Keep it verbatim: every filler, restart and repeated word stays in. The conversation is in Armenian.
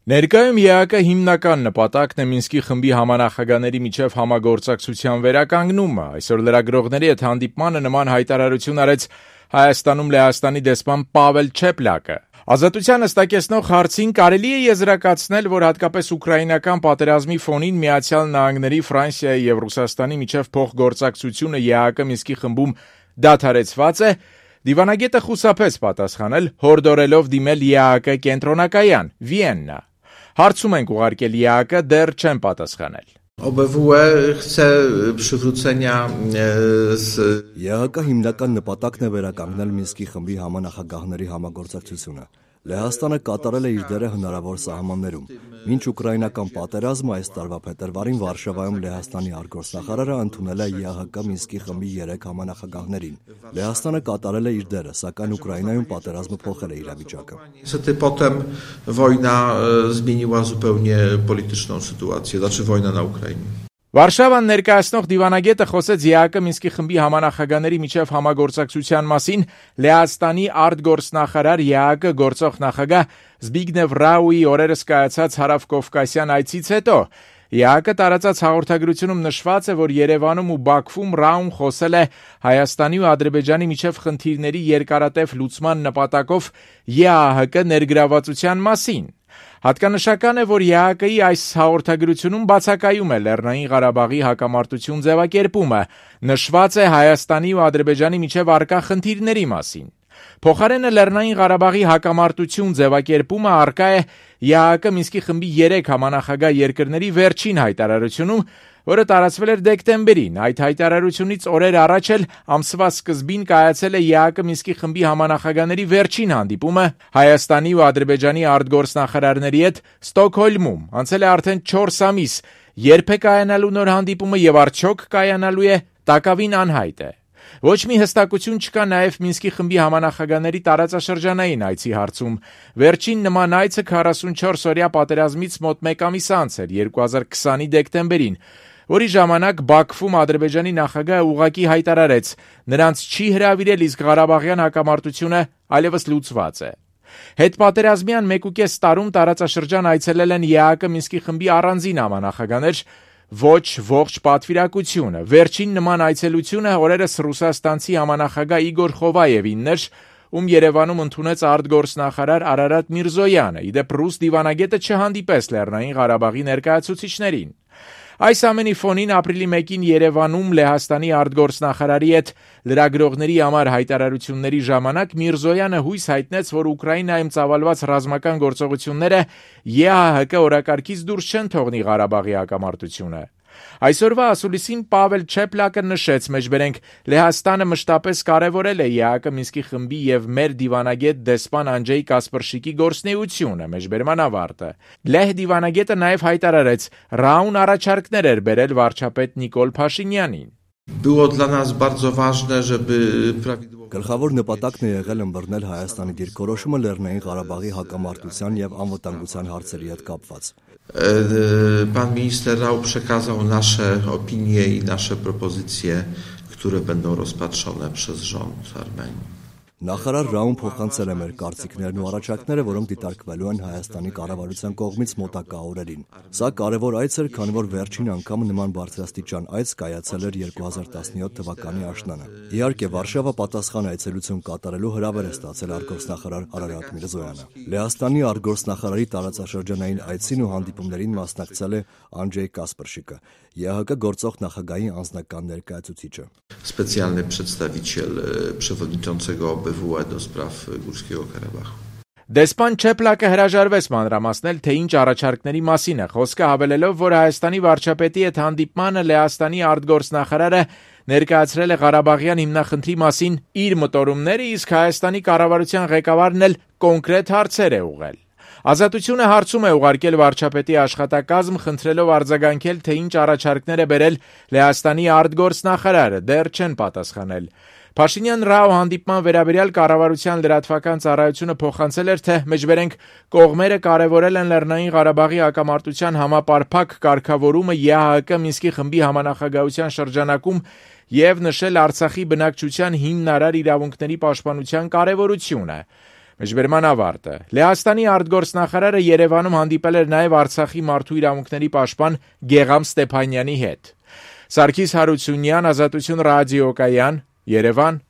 Ներկայում ԵԱԿ-ը հիմնական նպատակն է Մինսկի խմբի համանախագահների միջև համագործակցության վերականգնումը։ Այսօր լրագրողների հետ հանդիպմանը նման հայտարարություն արեց Հայաստանում Լեհաստանի դեսպան Պավել Չեպլակը։ Ազատության հստակեցնող հարցին կարելի է եզրակացնել, որ հատկապես ուկրաինական պատերազմի ֆոնին Միացյալ Նահանգների, Ֆրանսիայի եւ Ռուսաստանի միջև փոխգործակցությունը ԵԱԿ Մինսկի խմբում դադարեցված է։ Դիվանագետը խուսափեց պատասխանել, հորդորելով դիմել ԵԱԿ կենտրոնակայան Վիեննա։ Հարցում ենք ուղարկել ԵԱԿ-ը, դեռ չեն պատասխանել։ ԵԱԿ-ը հիմնական նպատակն է վերականգնել Մինսկի խմբի համանախագահների համագործակցությունը։ Լեհաստանը կատարել է իր դերը հնարավոր սահմաններում։ Մինչ ուկրաինական պատերազմը այս տարվա փետրվարին Վարշավայում Լեհաստանի արտգործնախարարը ընդունել է ԵԱՀԿ Մինսկի խմբի երեք համանախագահներին։ Լեհաստանը կատարել է իր դերը, սակայն Ուկրաինայում պատերազմը փոխել է իրավիճակը։ Potem wojna zmieniła zupełnie polityczną sytuację, znaczy wojna na Ukrainie. Վարշավան ներկայացնող դիվանագետը խոսեց ԵԱԿ Մինսկի խմբի համանախագահների միջև համագործակցության մասին Լեհաստանի արտգործնախարար ԵԱԿ գործող նախագահ Զբիգնև Ռաուի օրերս կայացած հարավկովկասյան այցից հետո։ ԵԱԿ տարածած հաղորդագրությունում նշված է, որ Երևանում ու Բաքվում Ռաուն խոսել է Հայաստանի ու Ադրբեջանի միջև խնդիրների երկարատև լուծման նպատակով ԵԱՀԿ ներգրավվածության մասին։ Հատկանշական է, որ ԵԱԿ-ի այս հաղորդագրությունում բացակայում է Լեռնային Ղարաբաղի հակամարտություն ձևակերպումը, նշված է Հայաստանի ու Ադրբեջանի միջև առկա խնդիրների մասին։ Փոխարենը Լեռնային Ղարաբաղի հակամարտություն ձևակերպումը առկա է ԵԱԿ Մինսկի խմբի երեք համանախագահ երկրների վերջին հայտարարությունում, որը տարածվել էր դեկտեմբերին։ Այդ հայտարարությունից օրեր առաջ էլ ամսվա սկզբին կայացել է ԵԱԿ Մինսկի խմբի համանախագահների վերջին հանդիպումը Հայաստանի ու Ադրբեջանի արտգործնախարարների հետ Ստոկհոլմում։ Անցել է արդեն չորս ամիս, երբ է կայանալու նոր հանդիպումը եւ արդյոք կայանալու է, տակավին անհայտ է։ Ոչ մի հստակություն չկա նաև Մինսկի խմբի համանախագահների տարածաշրջանային այցի հարցում։ Վերջին նման այցը քառասունչորս-օրյա պատերազմից մոտ մեկ ամիս անց էր, երկու հազար քսանի դեկտեմբերին, որի ժամանակ Բաքվում Ադրբեջանի նախագահը ուղղակի հայտարարեց, նրանց չի հրավիրել, իսկ Ղարաբաղյան հակամարտությունը այլևս լուծված է։ Հետպատերազմյան մեկուկես տարում տարածաշրջան այցելել են ԵԱԿ Մինսկի խմբի առանձին համանախագահներ, ոչ ողջ պատվիրակությունը։ Վերջին նման այցելությունը օրերս ռուսաստանցի համանախագահ Իգոր Խովայևինն էր, ում Երևանում ընդունեց արտգործնախարար Արարատ Միրզոյանը։ Իդեպ ռուս դիվանագետը չհանդիպես Լեռնային Ղարաբաղի ներկայացուցիչներին։ Այս ամենի ֆոնին ապրիլի մեկին Երևանում Լեհաստանի արտգործնախարարի հետ լրագրողների համար հայտարարությունների ժամանակ Միրզոյանը հույս հայտնեց, որ Ուկրաինայում ծավալված ռազմական գործողությունները ԵԱՀԿ օրակարգից դուրս չեն թողնի Ղարաբաղի հակամարտությունը։ Այսօրվա ասուլիսին Պավել Չեպլակը նշեց, մեջբերենք Լեհաստանը մշտապես կարևորել է ԵԱԿ Մինսկի խմբի եւ մեր դիվանագետ դեսպան Անջեյ Կասպրշիկի գործունեությունը, մեջբերման ավարտը։ Լեհ դիվանագետը նաեւ հայտարարեց, Ռաուն առաջարկներ էր բերել վարչապետ Նիկոլ Փաշինյանին։ Było dla nas bardzo ważne, żeby prawidłowo Գլխավոր նպատակն է եղել ըմբռնել Հայաստանի դիրքորոշումը Լեռնային Ղարաբաղի հակամարտության եւ անվտանգության հարցերի հետ կապված։ Pan minister Rau przekazał nasze opinie i nasze propozycje, które będą rozpatrzone przez rząd Armenii. Նախարար Ռաուն փոխանցել է մեր կարծիքներն ու առաջարկները, որոնք դիտարկվելու են Հայաստանի կառավարության կողմից մոտակա օրերին։ Սա կարևոր այց էր, քանի որ վերջին անգամ նման բարձրաստիճան այց կայացել էր երկու հազար տասնյոթ թվականի աշնանը։ Իհարկե, Վարշավա պատասխան այցելություն կատարելու հրավեր է ստացել արտգործնախարար Արարատ Միրզոյանը։ Լեհաստանի արտգործնախարարի տարածաշրջանային այցին ու հանդիպումներին մասնակցել է Անջեյ Կասպրշիկը, ԵԱՀԿ գործող նախագահի անձնական ներկայացուցիչը։ Specjalny przedstawiciel przewodniczącego O B W E do spraw Górskiego Karabachu. Դեսպան Չեպլակը հրաժարվեց մանրամասնել, թե ինչ առաջարկների մասին է խոսքը, հավելելով, որ Հայաստանի վարչապետի հետ հանդիպմանը Լեհաստանի արտգործնախարարը ներկայացրել է Ղարաբաղյան հիմնախնդրի մասին իր մտորումները, իսկ Հայաստանի կառավարության ղեկավարն էլ կոնկրետ հարցեր է ուղղել։ Ազատությունը հարցում է ուղարկել վարչապետի աշխատակազմ, խնդրելով արձագանքել, թե ինչ առաջարկներ է բերել Լեհաստանի արտգործնախարարը, դեռ չեն պատասխանել։ Փաշինյան-Ռաու հանդիպման վերաբերյալ կառավարության լրատվական ծառայությունը փոխանցել էր, թե մեջբերենք կողմերը կարևորել են Լեռնային Ղարաբաղի հակամարտության համապարփակ կարգավորումը ԵԱՀԿ Մինսկի խմբի համանախագահության շրջանակում եւ նշել Արցախի բնակչության հիմնարար իրավունքների պաշտպանության կարևորությունը։ Մեջբերման ավարտը։ Լեհաստանի արտգործնախարարը Երևանում հանդիպել էր նաև Արցախի մարդու իրավունքների պաշտպան Գեգամ Ստեփանյանի հետ։ Սարգիս Հարությունյան, Ազատություն ռադիոկայան, Երևան։